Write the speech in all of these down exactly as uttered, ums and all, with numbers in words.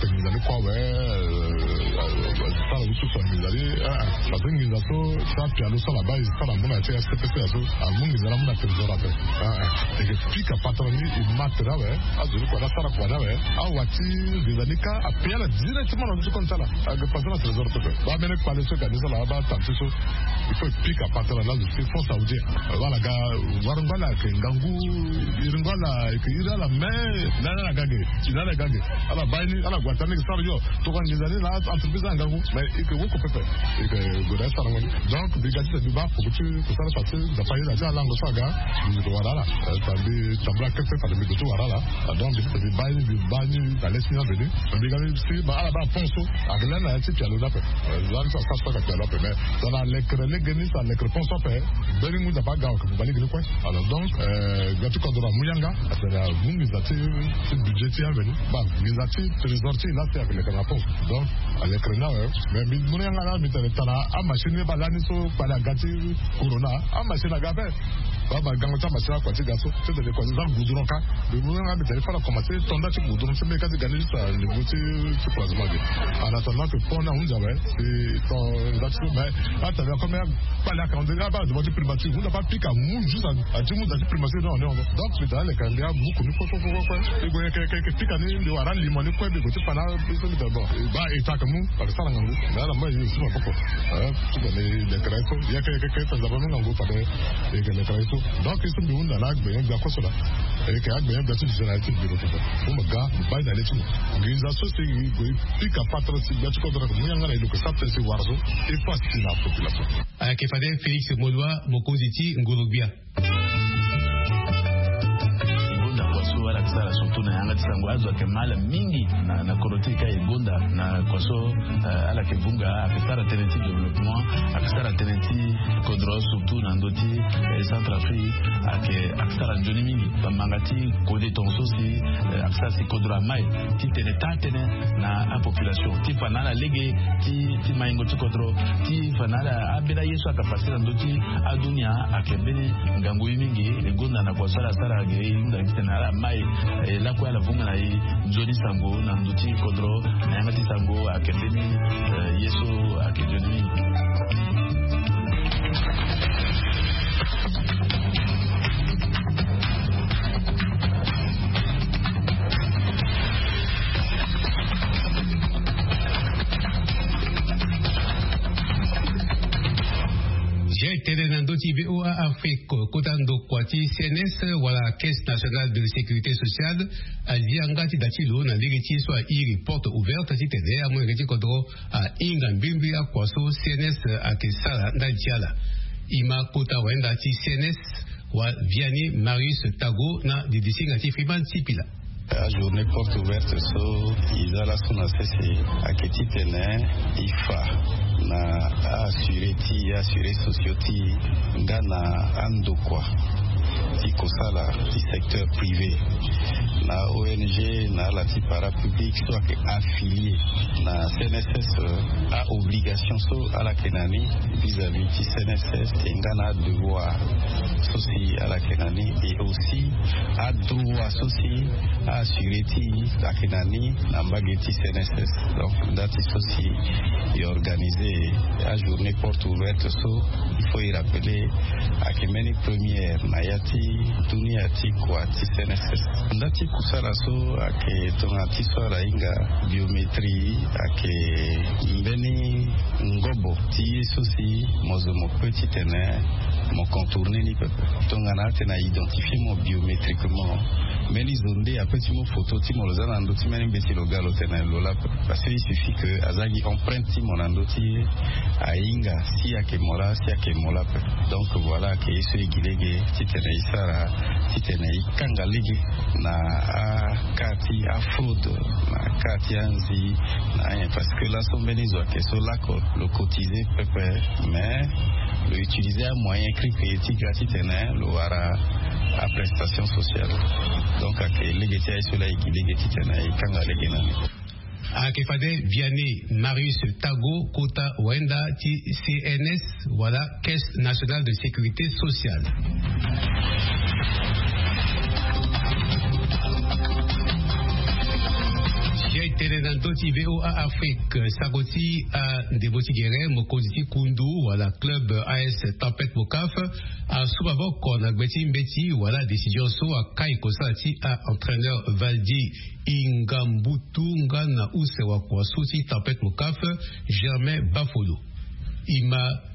ate nginza ni kue awe. Sara usu so nginza ni. Parce que nginza so so apialo so ala baa e sara amu na ya ti S P P C ya so amu nginza ni amu na trésor ape. Eke pika patron ni e ma tere awe. Azo ni kua ni asara kua ni awe. Awa ti nginza ni ka ape ala directement na ndö ti compte ti ala. Ake passe na trésor pepe. Baa mbeni kpale so eke andi so ala baa tante so. Il faut e pika patron na azo ti Fonds Saoudien. Wala ga warango ala ayeke ngangu. Iringo ala ayeke iri ala me. Lani ala ga ge. Ti lani ala ga ge. Ala baa ye ni ala gue ata ni eke sara yo. Tongana nginza ni na entreprise ala ngangu. Mais eke woko pepe. Eke gue na ye sarango ni. Donc mbi ga ti tene mbi baa poko ti kusala fa ti nzapa ye na ti alango so aga. Mbi yeke wara ala. Tongana mbi tambula kete fade mbi gue ti wara ala. Donc mbi ti tene mbi baa ye ni mbi baa ni na le ti ni aveni. Mbi ga mbi si ma ala baa pont so. Ake lani na ya ti pialo ni ape. Lani so asara so aga pialo ape mais tongana alekere lege ni so alekere pont so ape. Mbeni ngu nzapa aga weke mbi baa lege ni kue. Alors donc ga ti kodro amu yanga. Atene amu nginza ti budget ti aveni. Baa nginza ti trésor ti e la si ayeke lekere na pont. Donc alekere ni awe. Mais mbi mu ni yanga laa mbi tene tara amachine ni baa lani so kpale aga ti corona. Amachine aga ape. Baba gango ti amasira kua ti ga so ti tene kua ti za goudron ka. Be mu nga be tene fara commencé tonda ti goudron ti meka ti ga ni ti sa lego ti ti croisement ge. En attendant que pont ni ahunzi awe si ton nda ti so mais atene comme ya kpale aka on dirait aba devant ti primature hunda pa pika mu juste ati mu da ti primature na on est on donc si da le kan ya buku ni kue kue kue kue e go yeke yeke pika ni nde wara limo ni kue be go ti fa na biso mbi tene bon ba eta ake mu ake sara ngangu. Mais ala moi si maboko. Ti tene lekere so yeke yeke yeke tene zaba mu ngangu fade. Eke na kara ye so donc ye so mbi hunda na agbenyo gbia koso laa. Eke agbenyo gbia so mbi zia na ye ti mbi lo pepe. Mo mo ga mo baa ye na le ti mo. Nginza so si e gue e pika patara si gbia ti kodro ake mo yanga na e lo ke sara tënë si wara so e fa si na population. Ayeke fade Félix Molua, mokonzi ti ngoro-gbia. E gonda kua so ala ke sara surtout na yanga ti sango azo ayeke mal mingi na na kodro ti e ka e gonda na kua so. Ala yeke vunga ayeke sara tënë ti développement, ayeke sara tënë ti kodro surtout na ndö ti Centrafrique. Ayeke ayeke sara nzoni mingi bamanga ti kode tongaso si ayeke sara si kodro amai ti tene taa tënë na apopulation ti fa na ala lege ti ti maingo ti kodro ti fa na ala ambeni aye so ayeke fasi na ndö ti adunia. Ayeke mbeni ngangu ye mingi. E gonda na kua so ala sara ge e hunda ti tene ala mai e lakue ala vunga na e nzoni sango na ndö ti kodro na yanga ti sango ayeke mbeni ye so ayeke nzoni mingi. Zia etene na ndö ti VOA Afrique kota ndokua ti CNS wala Caisse Nationale de Sécurité Sociale. Azia nga ti da ti lo na lege ti ye so airi porte ouverte titene amolenge ti kodro ahinga mbirimbiri akua so CNS ayeke sara ndali ti ala. E ma kota wayenda ti CNS wa Vianney Marius Tago na didisinga ti Freeman Sipila. Ajournée porte ouverte so e za laso na sese ayeke titene e fa na a-assuré ti e, a-assuré sociaux ti e nga na andokua ti kosala ti secteur privé na ONG na ala ti parapublic so ayeke affilié na CNSS. A-obligation so ala yeke na ni vis-à-vis ti CNSS e nga na adevoir so si ala yeke na ni et aussi adroit so si a-assuré ti e ayeke na ni na mbage ti CNSS. Donc nda ti so si e organisé ajournée porte ouverte so il faut e rappeler ayeke mbeni première na ya ti dunia ti kua ti CNSS. Nda ti kusala so ayeke tongana ti so ala hinga biométrie ayeke mbeni ngobo ti ye so si mo zo mo peut titene mo contourner ni pepe. Tongana atene a identifier mo biométriquement mbeni zo nde ape ti mu photo ti mo lo za na ndö ti mbeni mbeti lo ga lo tene lo laa pepe. Parce que il suffit que aza gi empreinte ti mo na ndö ti ye ahinga si ayeke mo laa si ayeke mo laa pepe. Donc voilà ayeke ye so e gi lege titene e sara titene e kanga lege na aka ti afraude na aka ti anzi na anyen parce que laso mbeni zo ayeke so lako lo cotiser pepe mais lo utiliser amoyen krikri ti ga titene lo wara aprestation sociale. Donc ayeke lege ti aye so laa e gi lege titene e kanga lege na ni. Ayeke fade Vianney Marius Tago kota wayenda ti CNS wala Caisse Nationale de Sécurité Sociale. Zia etene na ndö ti VOA Afrique sango ti andembo ti gere mokonzi ti kundu wala club AS Tempête Mocaf asu maboko na gbe ti mbeti wala décision so akai kosala ti a-entraîneur Valdy Ingambutu nga na use wakua so ti Tempête Mocaf Germain Bafolo. E ma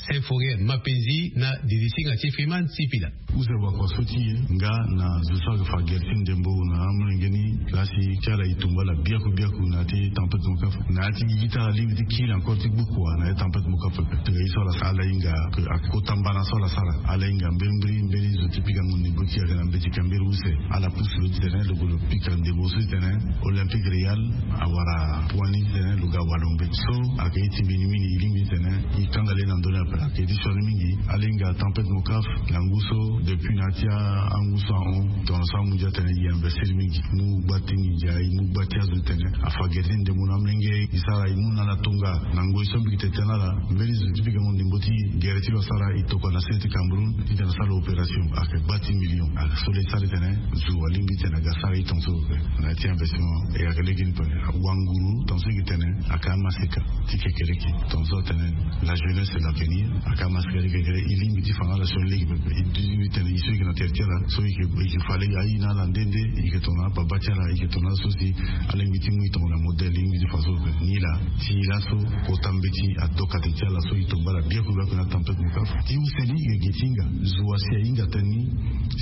Symphorien Mapenzi na didisinga ti Freeman Sipila. Use wakua so ti e nga na zo so ayeke fa gere ti ndembo na amolenge ni laa si ti ala e tumba ala biaku biaku na ya ti Tempête Mocaf na ya ti gigi ti ala lingbi ti kiri encore ti gbu kua na ya ti Tempête Mocaf. Tongana ye so ala sara ala hinga ayeke kota mbana so ala sara ala hinga mbeni mbeni mbeni zo ti pika ngu ndembo ti e ayeke na mbeti ka mbeni use. Ala pusu lo titene lo gue lo pika ndembo so titene Olympique Real awara point ni titene lo ga walo mbeti so ayeke ye ti mbeni mini e lingbi titene e kanga le na Donner appel ake ti sioni mingi. Ala hinga tempête Mokaf na ngu so depuis na ya ti angu so ahon. Tongana so amu ndia tene e investir mingi, mu gba ti nginza, e mu gba ti azo tene afa gere ti ndembo na amolenge. E sara e mu na ala tonga na ngoi so mbi yeke tene na ala. Mbeni zo ti pikango ndembo ti gere ti lo asara e tokua na se ti Cameroun titene asara opération. Ayeke gba ti million. Ayeke so le sara titene zo alingbi titene aga sara e tongaso. Na ya ti investissement e ayeke lege ni pe. Wanguru tongaso e yeke tene ayeke amaseka ti kekereke. Tongaso atene la jeunesse la keni. Ayeke amaseka ti kekere e lingbi ti fa na ala sioni lege pepe. E lingbi tene e so e yeke na tere ti ala so e yeke fa lege aye na ala nde nde. E yeke tongana ababa ti ala, e yeke tongana ala so si alingbi ti mu e tongana modèle. E lingbi ti fa so pepe ni laa. Ti laso kota mbeti adoka tene ti ala so e tomba ala biaku biaku na tempête Mokaf. Ti use ni e yeke gi ti hinga zo asi ahinga tënë ni.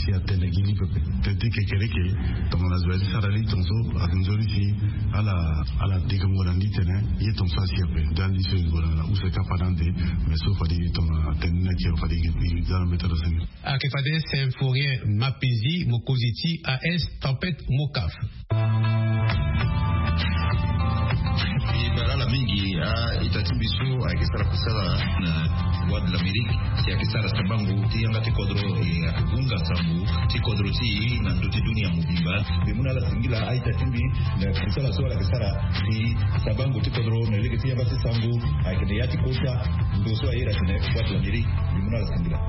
Si atene gi li pepe tënë ti kekereke. Tongana zo ya ti sara li tongaso ayeke nzoni si ala ala dekango na ndi tene ye tongaso asi ape. Dali so e gue na use kapa na ande. Mais so fade e tongana tënë ni ayeke fade e za na mbeta lo seni. Ayeke fade Symphorien Mapezi, mokonzi ti A S Tempête Mokaf. E bale ala mingi a-ita ti mbi so ayeke sara kusala na Voix de l'Amérique si ayeke sara sambango ti yanga ti kodro. E hunga sambu ti kodro ti e na ndö ti dunia mobimba. Mbi mu na ala singila a-ita ti mbi na kusala so ala yeke sara si sambango ti kodro na lege ti yanga ti sambu ayeke na ya ti kota ndo so aye ira tene Voix de l'Amérique. Mbi mu na ala singila.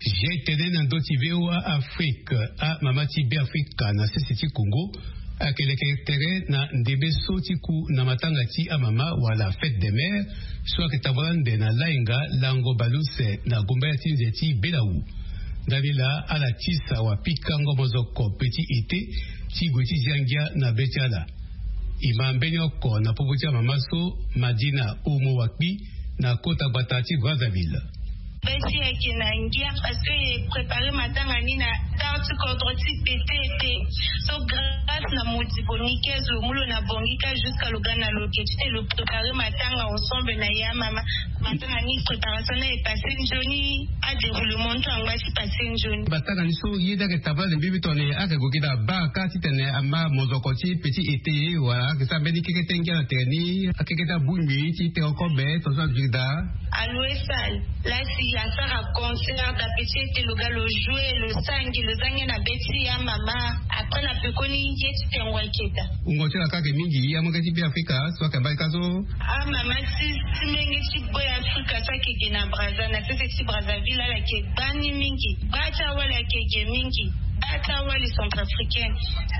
Zia e tene na ndö ti V O A Afrique, amama ti Beafrika na sese ti Congo ayeke leke tere na ndembe so ti ku na matanga ti amama wala fête des mères so ayeke tambula ande na lainga lango baleuse na gombaya ti nze ti Belawu. Ndani laa ala tisa wapikango mozoko petit été ti gue ti zia ngia na be ti ala. E ma mbeni oko na popo ti amama so, Madina Oumou Wakpi, na kota gbata ti Brazzaville. Be ti e ayeke na ngia parce que e prépare matanga ni na retard ti kodro ti petit été. So grâce na modibo ni ke zo mu lo na Bangui ka jusqu'à lo ga na lo ke ti tene lo prépare matanga ensemble na ya mama. Matanga ni préparation ni aye passé nzoni, adéroulement ni so angba ti passé nzoni. Matanga ni so ye nde ayeke tambula ande mbi mbi tongana ayeke gue gi na baa ka titene ama mozoko ti petit été wala ayeke sara mbeni keke ti ngia na tere ni, akeke ti abongbi ti tene kobe tongaso aduti daa. Aloue sale. Laa si asara concert na petit été lo ga lo jouer lo sara ngia lo za ngia na be ti amama. Après na pekoni ye ti tengo ayeke daa. Wungo ti ala kâ ayeke mingi amolenge ti Beafrika so ayeke mbage ka so. Amama ti ti menge ti Beafrika so ayeke ge na Brazza na sese ti Brazzaville ala yeke gba ni mingi. Baa ti awali ayeke ge mingi. Baa ti awali centrafricaine.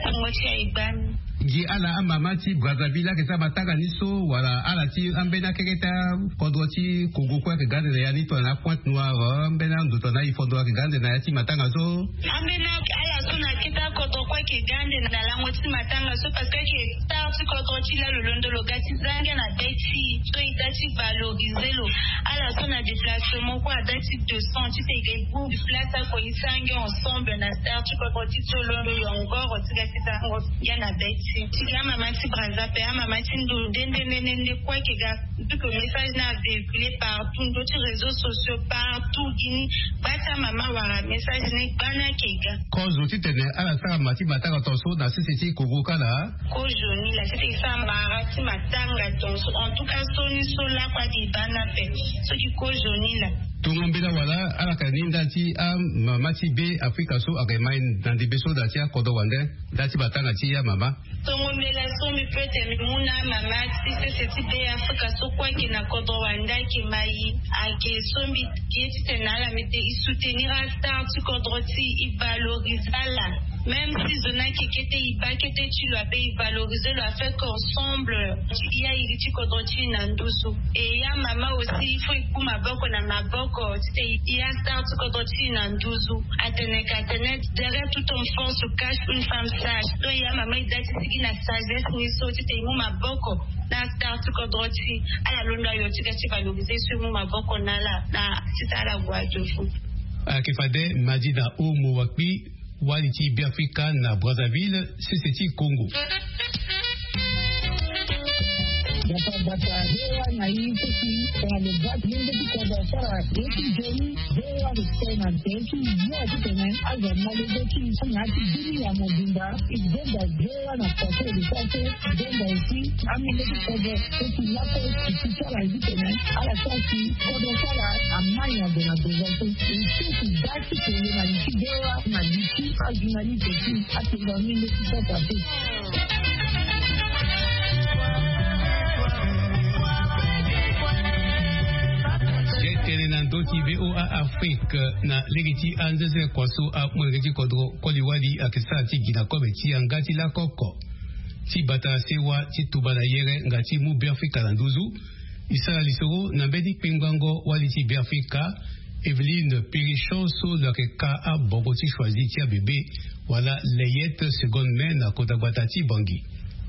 Wungo ti aye gba ni. Gi ala amama ti Brazzaville ayeke sara matanga ni so wala ala ti ambeni akeke ti akodro ti Congo kue ayeke ga ande na ya ni tongana Pointe Noire, ambeni ando tongana e fondro ayeke ga ande na ya ti matanga so. Ambeni ala so na akete akodro kue ayeke ga ande na lango ti matanga so parce que ayeke star ti kodro ti la lo londo lo ga ti za ngia na be ti e so e da ti valoriser lo. Ala so na déplacement kue ada ti deux cents titene e ga e bongbi place oko e za ngia ensemble na star ti kodro ti e so londo yo ngoro ti ga ti za ngia na be ti e. Ti ga amama ti Brazza ape amama ti ndo nde nde nde nde kue ayeke ga. Tout le message ni avéhiculé partout ndö ti réseaux sociaux partout gi ni. Gba ti amama wala message ni gba ni ayeke ga. Kozo titene ala sara ma ti matanga tongaso na sese ti Congo ka laa. Kozo ni laa titene e sara mara ti matanga tongaso en tout cas so ni so lakue adi e baa ni ape. So gi kozo ni laa. Tongo mbela wala ala yeke na ni ndali ti amama ti Beafrika so ayeke mai na ndembe so na ya ti akodro wande ndali ti matanga ti amama. Tongo mbela so mbi peut tene mbi mu na amama ti sese ti Beafrika so kue ayeke na kodro wande ayeke mai. Ayeke so mbi ye titene na ala mbi tene e soutenir astar ti kodro ti e, e valoriser ala. Même si zo ni ayeke kete e baa kete ti lo ape e valoriser lo afin que ensemble e ya iri ti kodro ti e na nduzu. E ya mama aussi il faut e ku maboko na maboko titene e ya star ti kodro ti e na nduzu. Atene ka atene derrière tout homme fort se cache une femme sage. Donc ya mama e da ti sigi na sagesse ni so titene e mu maboko na star ti kodro ti e ala londo ayo ti ga ti valoriser so e mu maboko na ala na titene ala gue adio fou. Ayeke fade Madina Oumou Wakpi, wali ti Beafrika na Brazzaville, sese ti Congo. Bata bata, voa na ye ti si tongana lo baa ti lenge ti kodro asara ye ti nzoni. Voa lo tene na nze ti yo ti tene azo amolenge ti so na ya ti bini ya mobimba. E zonza voa na kua so e lo sara so. Zonza aussi amolenge ti kodro so ti lakue ti sara ye ti tene ala sara si kodro so ala amai na ndo na ndo so. E so ti baa ti tene na li ti voa na li ti ajournaliste ti atonga amolenge ti kodro ape. Ye tene na ndö ti voa Afrique na lege ti anzenze kua so amolenge ti kodro koli wali ayeke sara ti gi na kobe ti yanga ti lako oko ti bata na sewa ti tuba na yere nga ti mu Beafrika na nduzu. E sara lisoro na mbeni kpengbango wali ti Beafrika. Evelyne Pirichon so lo yeke ka abongo ti choisi ti abebe wala layette seconde main na kota gbata ti Bangui.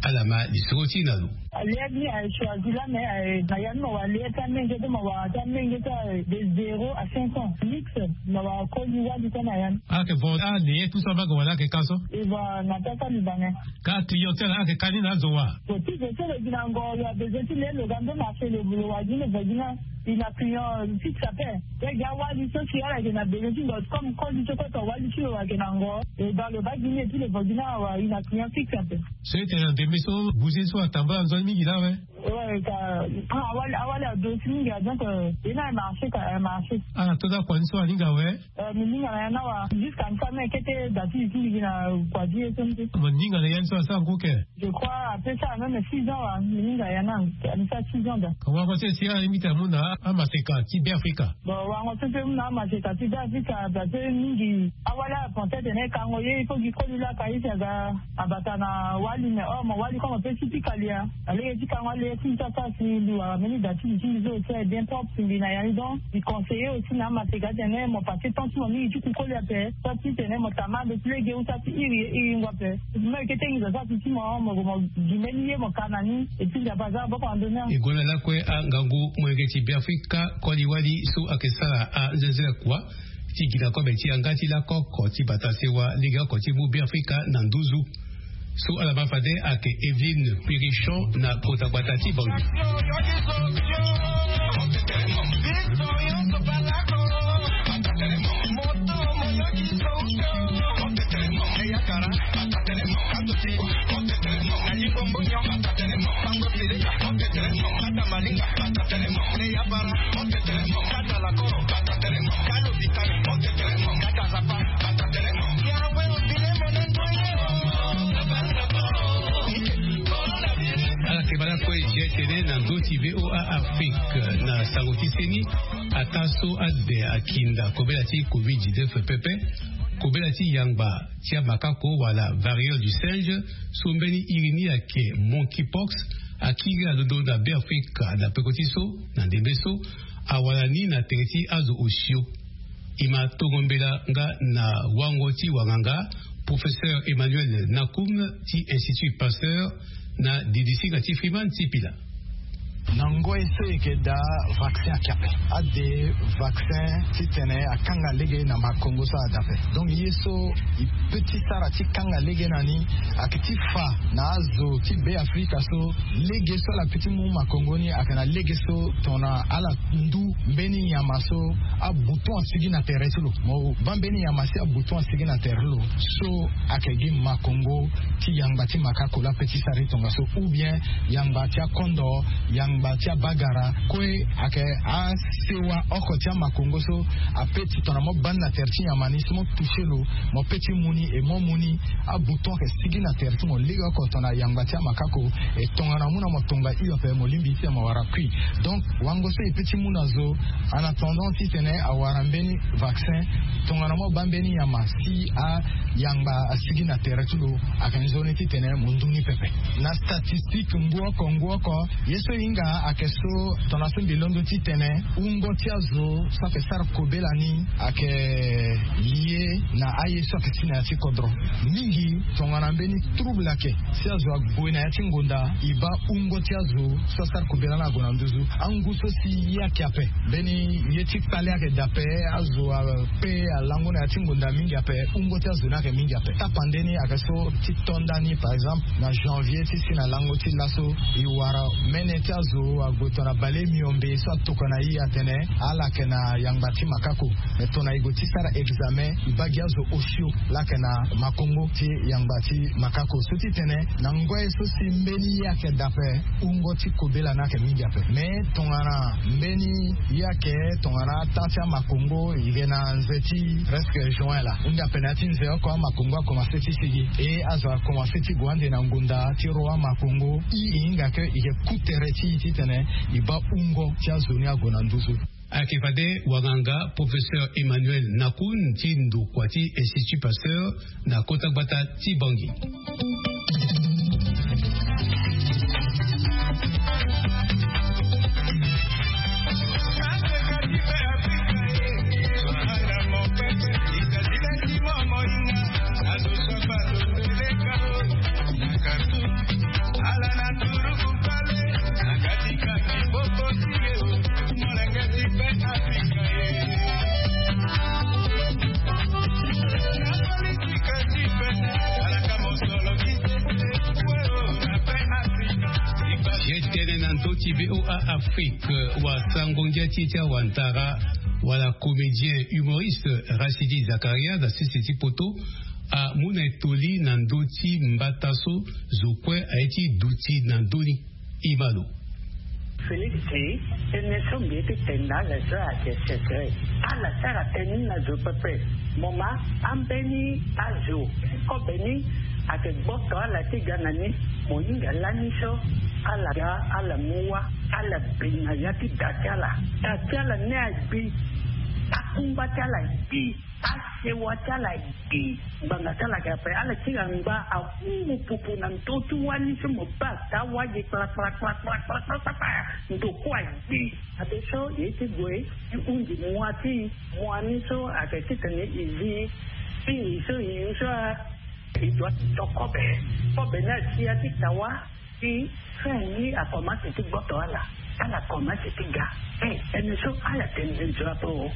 Ala ma lisoro ti na lo. Layette ni aye choisi la, mais aye na ya ni ma wara layette ti amenge so ma wara ti amenge so aye de zéro à cinq ans. Mix ma wara koli wali so na ya ni. Ala yeke vo alayette ni so abaka wala ala yeke ka so? E vo na pesa libanais. Ka client ti ala ala yeke ka ni na azo wa? Bon, ti zo so lo gi na ngo lo abezoin ti le lo ga ndo marché lo wara gi ni vo gi ni. E na client fixe ape. Ye gi awali so si ala yeke na bezoin ti ndo comme koli so kue to wali ti lo ayeke na ngo. E baa lo baa gi ni et puis lo vo gi ni awa e na client fixe ape. So e tene na ndembe so bouger so atambula nzoni mingi laa awe. Ouais, ka, ah, awali, awali ado ti mingi, ah, donc, euh, e na marché ka, eh, marché. Ah, to da kua ni so alinga awe. Euh, mi linga na ya ni awa, jusqu'à mi fa me kete da ti li ti mbi gi na kua ti ye so ni te. Mo linga na ya ni so asara ngu ke? Je crois après ça même six ans wa, mi linga ya ni, mi sara six ans da. Wango so si alingbi ti amu na amaseka ti Beafrika. Bon, wango so mpe mu na amaseka ti Beafrika, parce que mingi awali apenser tene kango ye, il faut gi koli laka ye si aga abata na wali, mais or mo wali comme mo peut ti pika li ya. Na lege ti kango alege ti mbi so asara si mbi wara mbeni da ti li ti mbi so aussi aye bien propre si mbi na ya ni. Donc mbi conseiller aussi na amaseka tene mo passer temps ti mo mingi ti ku koli ape. Soit ti tene mo tama ando ti lege ou soit ti iri ye iri ngua ape. Mo yeke tengi zo sara si ti mo, mo, mo gi mbeni ye mo ka na ni. Et puis Nzapa aza maboko na ndoni. E gue na lakue angangu molenge ti Beafrika koli wali so ayeke sara anzenze kua ti gi na kobe ti yanga ti lako oko ti bata sewa legeoko ti mu Beafrika na nduzu. So ala ma fade ayeke Evelyne Pirichon na kota gbata ti Bangui. Ala yeke baa lakue ye tene na ndö ti VOA Afrique na sango ti seni. Ataa so ade akinda kobela ti covid dix-neuf pepe, kobela ti yangba ti amakako wala variole du singe so mbeni iri ni ayeke monkeypox akiri alondo na Beafrika na peko ti so, na ndembe so awara ni na tere ti azo osio. E ma tongo mbela nga na wango ti wanganga, professeur Emmanuel Nakoum ti Institut Pasteur, na didisinga ti Freeman ti Pila. Na ngoi so e yeke daa, vaccin ayeke ape. Ade vaccin titene akanga lege na makongo so ada ape. Donc ye so e peut ti sara ti kanga lege na ni ayeke ti fa na azo ti Beafrika so lege so ala peut ti mu makongo ni ayeke na lege so tongana ala ndu mbeni nyama so abouton asigi na tere ti lo. Mo baa mbeni nyama si abouton asigi na tere ti lo so ayeke gi makongo ti yangba ti makako laa ape ti sara ti tongaso, ou bien yangba ti akondo, yangba ti abagara. Kue ayeke asewa oko ti amakongo so ape ti tongana mo baa ni na tere ti nyama ni si mo toucher lo, mo peut ti mu ni. E mo mu ni, abouton ayeke sigi na tere ti mo legeoko tongana yangba ti amakako. E tongana mu na mo tonga hio ape, mo lingbi ti tene mo wara kui. Donc wango so e peut ti mu na zo, en attendant titene awara mbeni vaccin, tongana mo baa mbeni nyama si ayangba asigi na tere ti lo, ayeke nzoni titene mo ndu ni pepe. Na statistique ngu oko ngu oko, ye so e hinga Ayeke so tongana so mbi londo titene wungo ti azo so ayeke sara kobela ni ayeke lie na aye so ayeke si na ya ti kodro. Mingi tongana mbeni trouble ayeke si azo ague na ya ti ngonda, e baa wungo ti azo so asara kobela ni ague na nduzu. Angu so si ye ayeke ape, mbeni ye ti kpale ayeke daa ape. Azo ape alango na ya ti ngonda mingi ape. Wungo ti azo ni ayeke mingi ape. Tapande ni ayeke so ti to nda ni, par exemple, na janvier ti si na lango ti laso, e wara mene ti azo ague tongana bale miombe so atokua na e atene ala yeke na yangba ti makako. Me tongana e gue ti sara examen, e baa gi azo osio laa ayeke na makongo ti yangba ti makako. So ti tene na ngoi so si mbeni ye ayeke daa ape, wungo ti kobela ni ayeke mingi ape. Me tongana mbeni ye ayeke tongana ata ti amakongo, e yeke na nze ti presque juin laa. Hunda ape na ya ti nze oko amakongo akomanse ti sigi. E azo akomanse ti gue ande na ngonda ti ro amakongo. I e hinga ke e yeke ku tere ti e titene e baa wungo ti azo ni ague na nduzu. Ayeke fade wanganga professeur Emmanuel Nakun ti ndokua ti Institut Pasteur na kota gbata ti Bangui. Ye tene na ndö ti V O A Afrique, wasango ngia ti e ti awantara wala comédien humoriste Rachidi Zakaria na sese ti poto amu na etoli na ndö ti mbata so zo kue aye ti duti na ndö ni. Imano. Félix, tënë so mbi ye ti tene na ala so ayeke secret. Ala sara tënë ni na zo pepe. Mo ma ambeni azo kobe ni ayeke gboto ala ti ga na ni. Mo hinga lani so ala ga, ala mu wâ, ala bi na ya ti da ti ala. Da ti ala ni agbi. Akungba ti ala agbi. Asewa ti ala agbi. Ngbanga ti ala ayeke ape, ala ti ga ngba ahungu pupu na ndö ti wâ ni so mo baa ata wâ gi kpala kpala kpala kpala kpala kpala. Ndo kue agbi. Ape so e ye ti gue ti hunzi mua ti e. Mua ni so ayeke titene e zi. Ti e so e yu so a. E dua ti to kobe. Kobe ni asi ya ti ta wâ. Ti fin ni akomanse ti gboto ala. Ala komanse ti ga. E, tënë so ala tene nzoni ape o.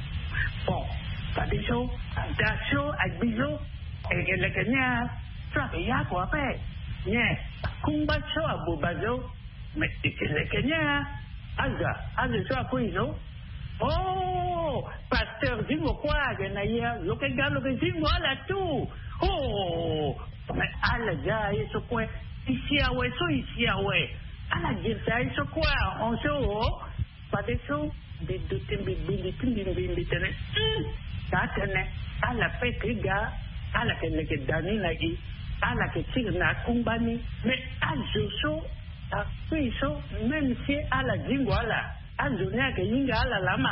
Bon, fadeso da so agbi so. E yeke leke ni a. So ayeke ya kua ape. Nyen? Kungba so aboba so. Me e yeke leke ni a. Aza, aza so akui so. Oh, pasteur zingo kue ayeke na ya. Lo yeke ga, lo yeke zingo ala tout. Oh, me ala za aye so kue. E si awe so, e si awe. Ala girisa aye so kue ahon so o. Fadeso mbi duti, mbi gbindi ti mbi, mbi mbi tene. Hmm, taa tënë. Ala pe ti ga. Ala yeke leke da ni na e. Ala yeke tiri na akungba ni. Me azo so akui so, même si ala zingo ala, azo ni ayeke hinga ala laa ma.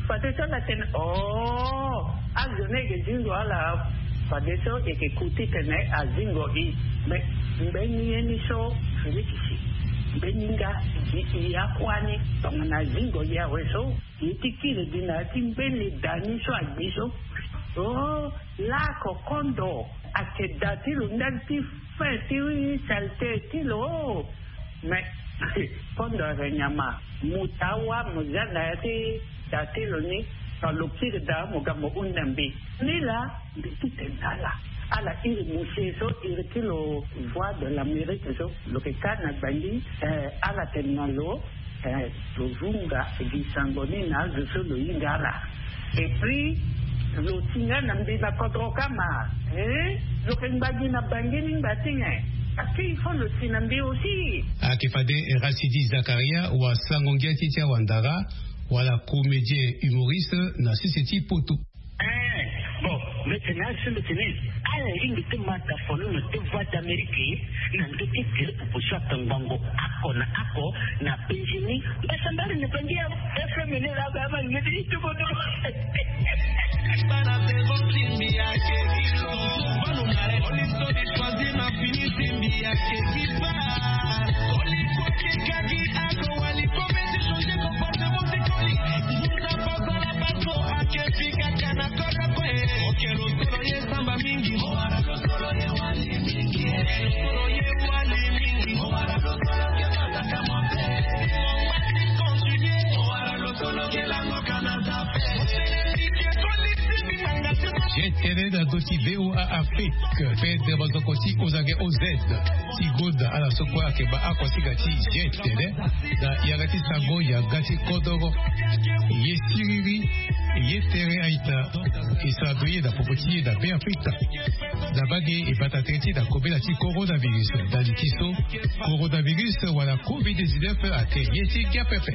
Fadeso ala tene, oh, azo ni ayeke zingo ala. Fadeso e yeke ku titene azingo e. Me mbeni ye ni so, Félix, mbeni nga gi e akua ni tongana azingo e awe so. E ye ti kiri gi na ya ti mbeni da ni so agbi so. Oh, laoko kondo ayeke da ti lo ndali ti fin ti saleté ti lo. Me kondo ayeke nyama. Mo taa wâ, mo za na ya ti da ti lo ni. Tongana lo kiri da, mo ga mo hunda mbi. Ni laa mbi ti tene na ala. Ala iri mosie so, iri ti lo Voix de l'Amérique so, lo yeke ka na Bangui. Eh, ala tene na lo. Eh, lo vunga gi sango ni na azo so lo hinga ala. Et puis lo ti nga na mbi na kodro kama. Eh, lo yeke ngba gi na Bangui ni ngba ti nyen? Parce que il faut lo ti na mbi aussi. Ayeke fade Rachidi Zakaria, wasango ngia ti e ti awandara, wala comédien humoriste na sese ti poto. Eh, bon, mbi tene azo so mbi tene ala lingbi ti ma tafono na ndö Voix d'Amérique na ndö ti tere pupu so atongbango oko na oko na Bangui ni. Mbasambala na Bangui awe. F M ni laa ba ama lingbi ti tubo do. Bana saison timbi ake kilo. Bano mare oli so di choisir na fini timbi ake kipa. Oli koke kaki. Tene na ndö ti V O A Afrique, fede mazoko ti ozange O Z ti gonda ala so kue ayeke baa akosinga ti G T N na yanga ti sango yanga ti kodoro. Ye siriri, ye tere aita. E sara ndo ye na popo ti ye na Beafrika. Na mbage e bata tere ti na kobela ti coronavirus na li ti so coronavirus wala covid dix-neuf ake ye ti ngia pepe.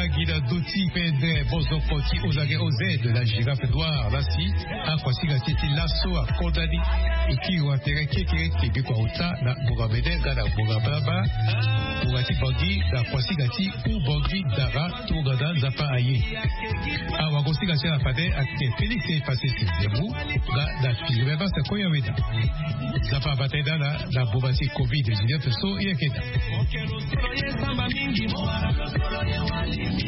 Gi na doti pendere bozoko ti ozage oze de la girafe noire lasi akuasinga ti ti laso akondani. Ekiri wa tere kekereke biko auta na bonga mene nga na bonga balabala. Bonga ti bangi na kuasinga ti u bangi dara. Tongana nzapa aye. Awagosinga ti ala fade ake félix efase ti zemu. Nga na figure basa koya weda. Nzapa abata eda na na boma ti covid dix-neuf so yekeda. Okelo solo ye samba mingi mo wara lo solo ye wali.